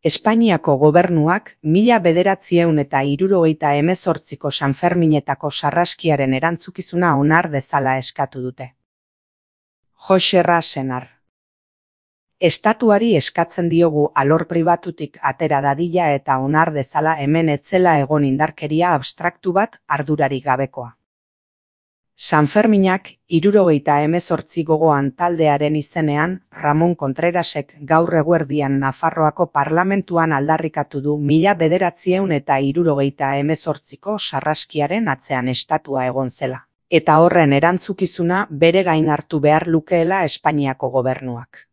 Espainiako gobernuak 1978ko Sanferminetako sarraskiaren erantzukizuna onar dezala eskatu dute. Joxerra Senar. Estatuari eskatzen diogu alor pribatutik atera dadila eta onar dezala hemen etzela egon indarkeria abstraktu bat ardurarik gabekoa. Sanferminak 78 gogoan taldearen izenean Ramon Contrerasek gaur eguerdian Nafarroako parlamentuan aldarrikatu du 1978ko sarraskiaren atzean estatua egon zela, eta horren erantzukizuna bere gain hartu behar lukeela Espainiako gobernuak.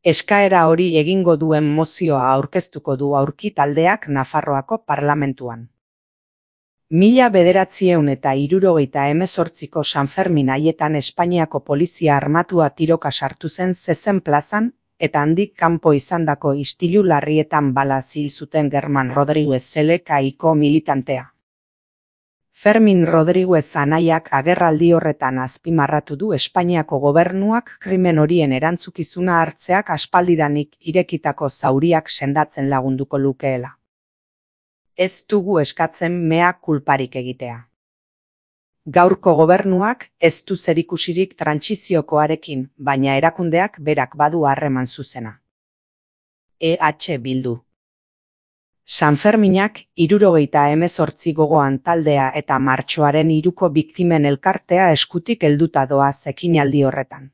Eskaera hori egingo duen mozioa aurkeztuko du aurki taldeak Nafarroako parlamentuan. 1978ko Sanfermin haietan Espainiako polizia armatua tiroka sartu zen Zezen plazan, eta handik kanpo izandako istilu larrietan bala hil zuten German Rodriguez LKiko militantea. Fermin Rodriguez anaiak agerraldi horretan azpimarratu du Espainiako gobernuak krimen horien erantzukizuna hartzeak aspaldidanik irekitako zauriak sendatzen lagunduko lukeela. Ez dugu eskatzen mea kulparik egitea. Gaurko gobernuak ez du zerikusirik trantsiziokoarekin, baina erakundeak berak badu harreman zuzena. EH Bildu. Sanferminak 78 gogoan taldea eta martxoaren 3ko biktimen elkartea eskutik helduta doaz ekinaldi horretan.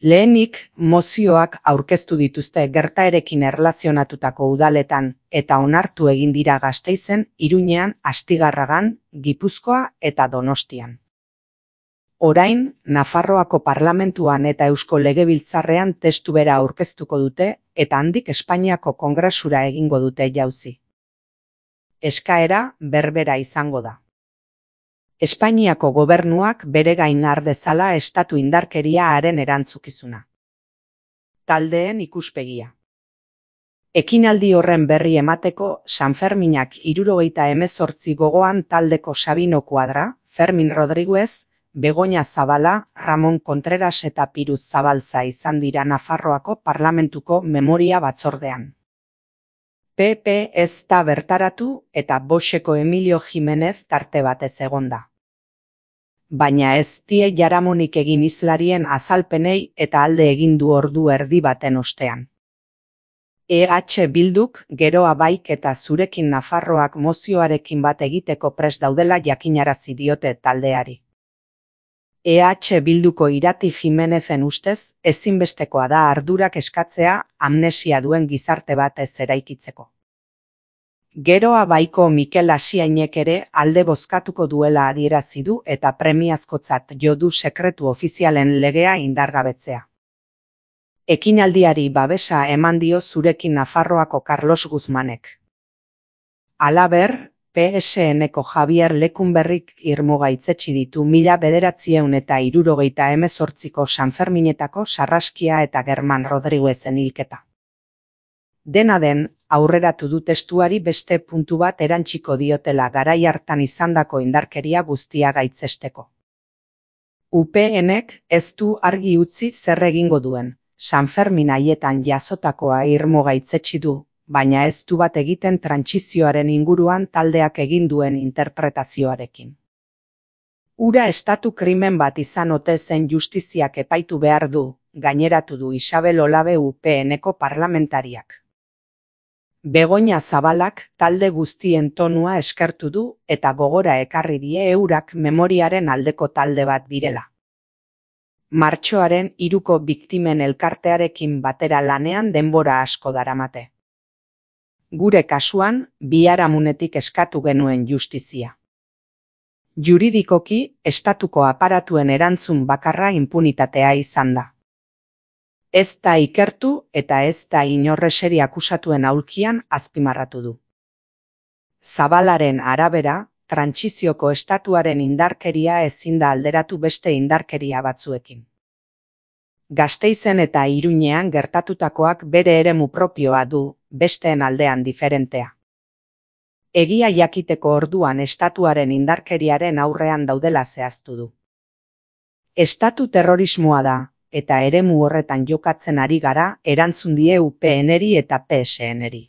Lehenik, mozioak aurkeztu dituzte gertaerekin erlazionatutako udaletan eta onartu egin dira Gasteizen, Iruñean, Astigarragan, Gipuzkoa eta Donostian. Orain, Nafarroako parlamentuan eta Eusko Legebiltzarrean testu bera aurkeztuko dute eta handik Espainiako Kongresura egingo dute jauzi. Eskaera berbera izango da. Espainiako gobernuak bere gain har dezala estatu indarkeria haren erantzukizuna. Taldeen ikuspegia. Ekinaldi horren berri emateko Sanferminak 78 gogoan taldeko Sabino Kuadra, Fermin Rodriguez, Begoña Zabala, Ramon Contreras eta Piruz Zabalza izan dira Nafarroako parlamentuko memoria batzordean. PP ez da bertaratu eta Boxeko Emilio Jimenez tarte batez egonda. Baina ez die jaramonik egin hizlarien azalpenei eta alde egin du ordu erdi baten ostean. EH Bilduk geroa baik eta zurekin Nafarroak mozioarekin bat egiteko prest daudela jakinarazi diote taldeari. EH Bilduko Irati Jimenezen ustez ezinbestekoa da ardurak eskatzea amnesia duen gizarte bat ez eraikitzeko. Geroa baiko Mikel Asiainek ere alde bozkatuko duela adierazi du eta premiazkotzat jo du sekretu ofizialen legea indargabetzea. Ekinaldiari babesa eman dio zurekin Nafarroako Carlos Guzmanek. Halaber, PSNko Javier Lecumberrik irmuga itzetsi ditu 1978ko Sanferminetako sarraskia eta German Rodriguezen hilketa. Dena den, aurreratu du testuari beste puntu bat erantsiko diotela garai hartan izandako indarkeria guztia gaitzesteko. UPNek ez du argi utzi zer egingo duen, Sanfermin haietan jasotakoa irmuga itzetsi du, baina ez du bat egiten trantsizioaren inguruan taldeak egin duen interpretazioarekin. Ura estatu krimen bat izan ote zen justiziak epaitu behar du, gaineratu du Isabel Olabe UPNeko parlamentariak. Begoña Zabalak talde guztien tonua eskertu du eta gogora ekarri die eurak memoriaren aldeko talde bat direla. Martxoaren 3ko biktimen elkartearekin batera lanean denbora asko daramate. Gure kasuan, biharamunetik eskatu genuen justizia. Juridikoki, estatuko aparatuen erantzun bakarra inpunitatea izan da. Ez da ikertu eta ez da inorreseri akusatuen aulkian azpimarratu du. Zabalaren arabera, trantsizioko estatuaren indarkeria ezin da alderatu beste indarkeria batzuekin. Gasteizen eta Iruñean gertatutakoak bere eremu propioa du, besteen aldean diferentea. Egia jakiteko orduan estatuaren indarkeriaren aurrean daudela zehaztu du. Estatu terrorismoa da, eta eremu horretan jokatzen ari gara, erantzun die UPNeri eta PSNeri.